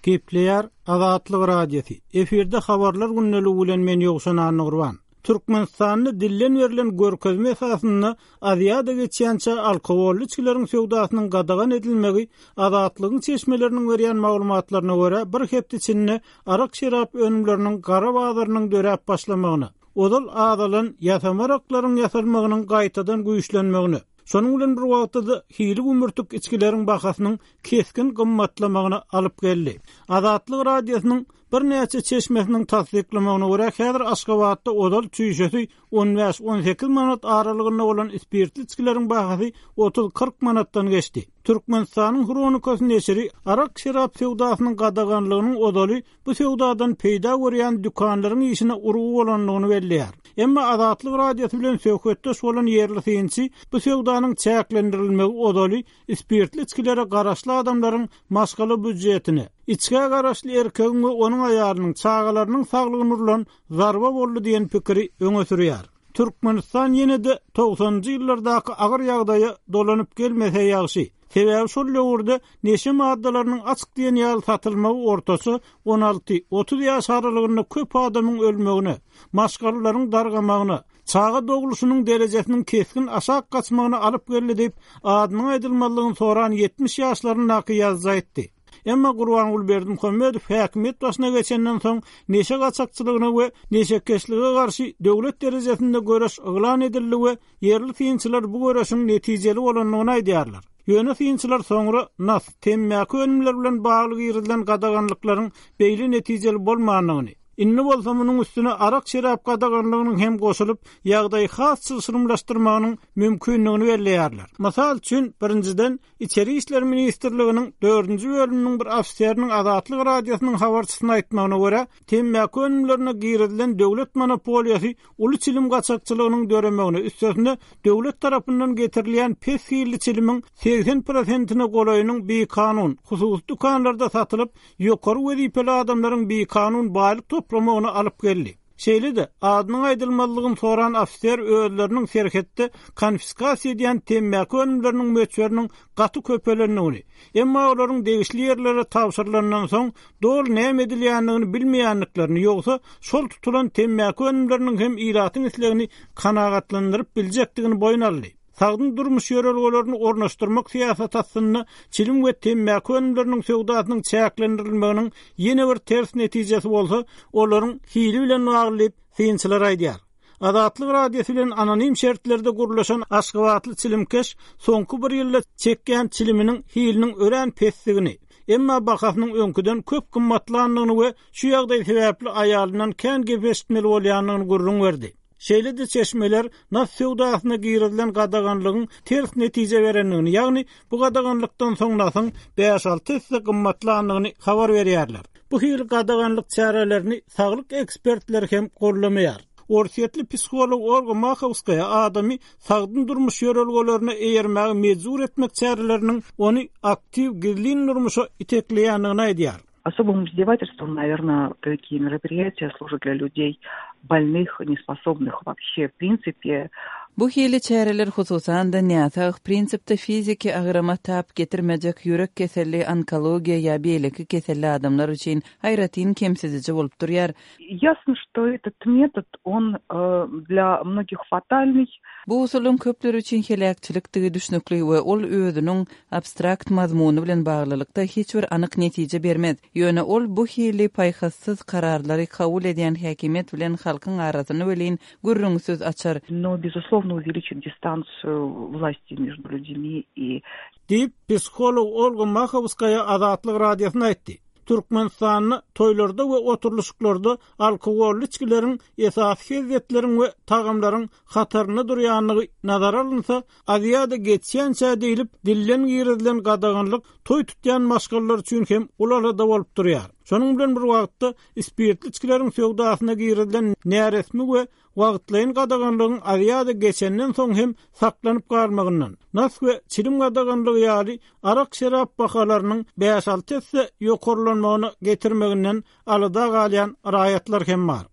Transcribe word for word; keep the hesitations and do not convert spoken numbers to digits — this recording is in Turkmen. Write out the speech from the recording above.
Gepleýär Azatlyk Radiosy. Efirde habarlar gündeligi bilen men Ýowşan Annagurban. Türkmenistanda dilden berlen görkezme esasynda Aziýada geçýänçä alkogolly içgileriň söwdasynyň gadagan edilmegi Azatlygyň çeşmeleriniň berýän maglumatlaryna görä bir hepde içinde arak-şerap önümleriniň gara bazarynyň döräp başlamagyna, ozal azalan ýasama araklaryň ýasalmagynyň gaýtadan güýçlenmegine, şonuň bilen bir wagtda hili gümürtik içgileriň bahasynyň keskin gymmatlamagyna alyp geldi. Azatlyk Radiosynyň birnäçe çeşmesiniň tassyklamagyna görä häzir Aşgabatda ozal çüýşesi on bäş on sekiz manat aralygynda bolan spirtli içgileriň bahasy otuz kyrk manatdan geçdi. Türkmenistanyň Hronikasy neşiri arak-şerap söwdasynyň gadaganlygynyň ozaly bu söwdadan peýda görýän dükanlaryň işine urgy bolandygyny belleýär. Emma Azatlyk Radiosy bilen söhbetdeş bolan ýerli synçy bu söwdanyň çäklendirilmegi ozaly spirtli içgilere garaşly adamlaryň maşgala býujetine, içgä garaşly erkegiň we onuň aýalynyň çagalarynyň saglygyny urlan zarba boldy diýen pikiri öňe sürýär. Türkmenistan ýene-de togsanjy ýyllardaky agyr ýagdaýa dolanyp gelmese ýagşy. Sebäbi şol döwürde neşe maddalarynyň açyk diýen ýaly satylmagy ortaça on alty otuz ýaş aralygynda köp adamyň ölmegine, maşgalalaryň dargamagyna, çaga dogluşynyň derejesiniň keskin aşak gaçmagyna alyp geldi diýip, adynyň aýdylmazlygyny soran ýetmiş ýaşlaryndaky ýazyjy aýtdy. Emma Gurbanguly Berdimuhamedow häkimiýet başyna geçenden soň neşe gaçakçylygyna we neşekeşlige garşy döwlet derejesinde göreş yglan edildi we ýerli synçylar bu göreşiň netijeli bolandygyny aýdýarlar. Ýöne synçylar soňra nas, temmäki önümleri bilen bagly girizilen gadaganlyklaryň beýle netijeli bolmandygyny, indi bolsa munuň üstüne arak-şerap gadaganlygynyň hem goşulyp, ýagdaýy has çylşyrymlaşdyrmagynyň mümkinligini belleýärler. Mysal üçin, birinjiden, Içeri İşler Ministrliginiň dördünji bölüminiň bir ofiseriniň Azatlyk Radiosynyň habarçysyna aýtmagyna görä, temmäki önümlerine girizilen döwlet monopoliýasy uly çilim gaçakçylygynyň döremegine, üstesine döwlet tarapyndan getirilýän pes hilli çilimiň segsen prosentine golaýynyň bikanun, hususy dükanlarda satylyp, ýokary wezipeli adamlaryň bikanun baýlyk toplamagyna alyp geldi. Şeýle-de, adynyň aýdylmazlygyny soran ofiser özleriniň serhetde konfiskasiýa edýän temmäki önümleriniň möçberiniň gaty köpelendigini, emma olaryň degişli ýerlere tabşyrylandan soň doly näme edilýändigini bilmeýändiklerini, ýogsa şol tutulan temmäki önümleriniň hem ilatyň islegini kanagatlandyryp biljekdigini boýun aldy. Sagdyn durmuş ýörelgelerini ornaşdyrmak syýasaty astynda çilim we temmäki önümleriniň söwdasynyň çäklendirilmeginiň ýene bir ters netijesi bolsa, olaryň hili bilen bagly diýip synçylar aýdýar. Azatlyk Radiosy bilen anonim şertlerde gurlaşan Aşgabatly çilimkeş soňky bir ýylda çekýän çiliminiň hiliniň örän pesdigini, emma bahasynyň öňküden köp gymmatlandygyny we şu ýagdaý sebäpli aýalyndan kän gep eşitmeli bolýandygyny gürrüň berdi. Şeýle-de çeşmeler nas söwdasyna girizilen gadaganlygyň ters netije berendigini, ýagny bu gadaganlykdan soň nasyň bäş alty esse gymmatlandygyny habar berýärler. Bu hili gadaganlyk çärelerini saglyk ekspertleri hem gollamaýar. Orsýetli psiholog Olga Mahowskaya adamy sagdyn durmuş ýörelgelerine eýermäge mejbur etmek çäreleriniň ony aktiw gizlin durmuşa itekleýändigini aýdýar. Особым издевательством, наверное, такие мероприятия служат для людей больных, неспособных вообще, в принципе. Bu hili çäreler hususan-da näsag prinsipde fiziki agrama tap getirmejek ýürek keselli, onkologiýa ýa beýleki keselli adamlar üçin aýratyn kemsidiji bolup durýar. Ясно, что этот метод, он, э, для многих фатальный. Bu usulyň köpler üçin heläkçilikdigi düşnükli we ol özüniň abstrakt mazmuny bilen baglylykda hiç bir anyk netije bermez. Ýöne ol bu hili paýhassyz kararlary kabul edýän häkimiýet bilen halkyň arasyny welin gürrüňsiz açar. Но, безусловно, увеличит дистанцию власти между людьми и Diýip, psiholog Olga Mahowskaya Azatlyk Radiosyna aýtdy. Türkmenistanda toýlarda we oturlyşyklarda alkogolly içgileriň esasy hezzetleriň we tagamlaryň hatarynda durýanlygy nazara alynsa, Aziýada geçýänçä diýlip dilden girizilen gadaganlyk toý tutýan maşgalalar üçin hem uly alada bolup durýar. Şonuň bilen bir wagtda spirtli içgileriň söwdasyna girizilen näresmi we wagtlaýyn gadaganlygyň Aziýada geçenden soň hem saklanyp galmagyndan, nas we çilim gadaganlygy ýaly arak-şerap bahalarynyň bäş alty esse ýokarlanmagyna getirmeginden alada galýan raýatlar hem bar.